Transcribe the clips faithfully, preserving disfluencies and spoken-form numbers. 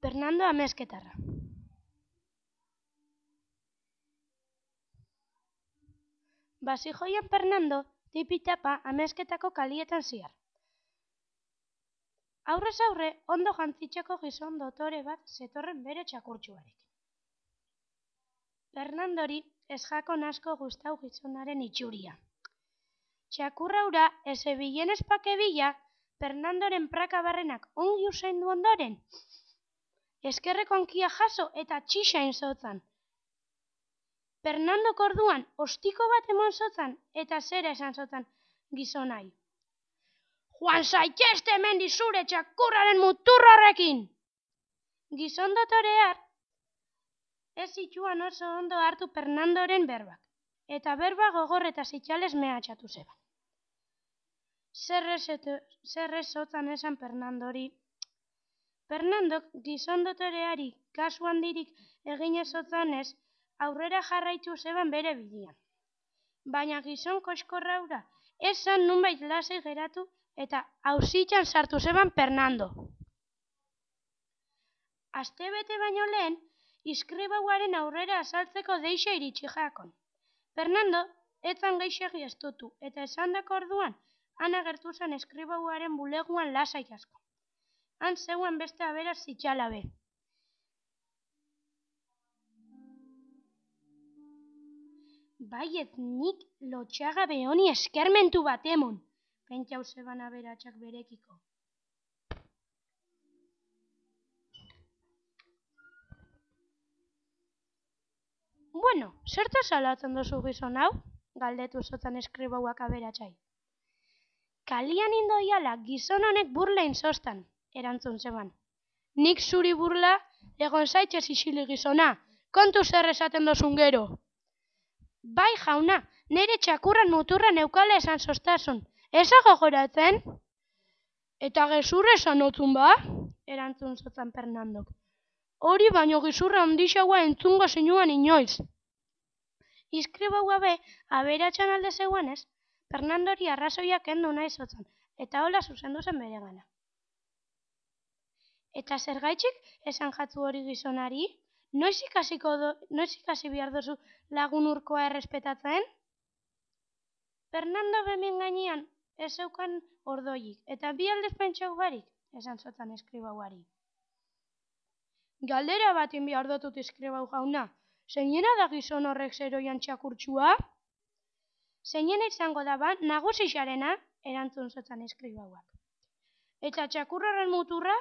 Fernando amezketarra. Basijoian Fernando tipitapa amezketako kalietan ziar. Aurrez aurre ondo jantzitzeko gizon dotore bat zetorren bere txakurtxuarekin. Fernandori ez jakon asko gustau gizonaren itxuria. Txakurra hura ez ebilen espakebila Fernandoren praka barrenak ongi usaindu ondoren. Eskerreko hankia jaso eta txisain zotzan. Fernandok orduan ostiko bat emon zotzan eta zera esan zotzan gizonai. Joan zaitezte hemendik zure txakurraren muturro horrekin! Gizon dotorear ez zituan oso ondo hartu Fernandoren berbak, eta berba gogor eta zitxalez mehatxatu zeban. Zerrez zotzan esan Fernandori. Fernandok gizon dotoreari kasu handirik egin ez zotzanez aurrera jarraitu zeban bere bidean. Baina gizon koskorra hura esan nunbait lasai geratu eta auzitan sartu zeban Fernando. Astebete baino lehen, iskribauaren aurrera azaltzeko deixa iritsi jakon. Fernando etzan geixegi estutu eta esandako orduan han agertu zen eskribauaren buleguan lasai asko. Han zeuen beste aberaz zitxalabe. Baiet nik lotxagabe honi eskermentu bat emon, pentsau zeban aberatsak berekiko. Bueno, zerta salatzen duzu gizon hau? Galdetu zotzan eskribauak aberatsai. Kalian indoiala gizon honek burla inzostan, erantzun zeban. Nik zuri burla, egon zaitez isili gizona, kontu zer esaten dozun gero. Bai jauna, nire txakurran muturra neukala esan zoztasun, eza gogoratzen? Eta gezurra esan otzun ba? Erantzun zotzan Fernandok. Hori baino gizurra handixaua entzungo zinuan inoiz. Iskribau be, aberatsan alde zeuanez, Fernandori arrazoiak kendu nahi zotzan, eta hola zuzendu zen bere gana. Eta zergaitxik esan jatzu hori gizonari? Noiz ikasiko do, noiz ikasi behar duzu lagun urkoa errespetatzen? Fernando bemin gainean ez zeukan ordoik, eta bi aldez pentsau barik, esan zotzan eskribauari. Galdera batin behar dutut eskribau jauna, zeinena da gizon horrek zeroian txakurtxua? Zeinena izango da ba, nagusixarena, erantzun zotzan eskribauak. Eta txakurraren muturra?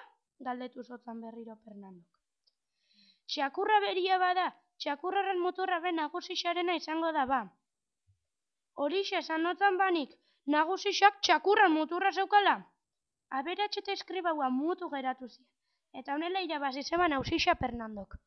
Galdetu zotzan berriro Fernandok. Txakurra beria bada, txakurraren muturra be nagusixarena izango da ba. Horixe esan notzan banik, nagusixak txakurran muturra zeukala? Aberatx eta eskribaua mutu geratu ziren, eta honela irabazi zeban auzixa Fernandok.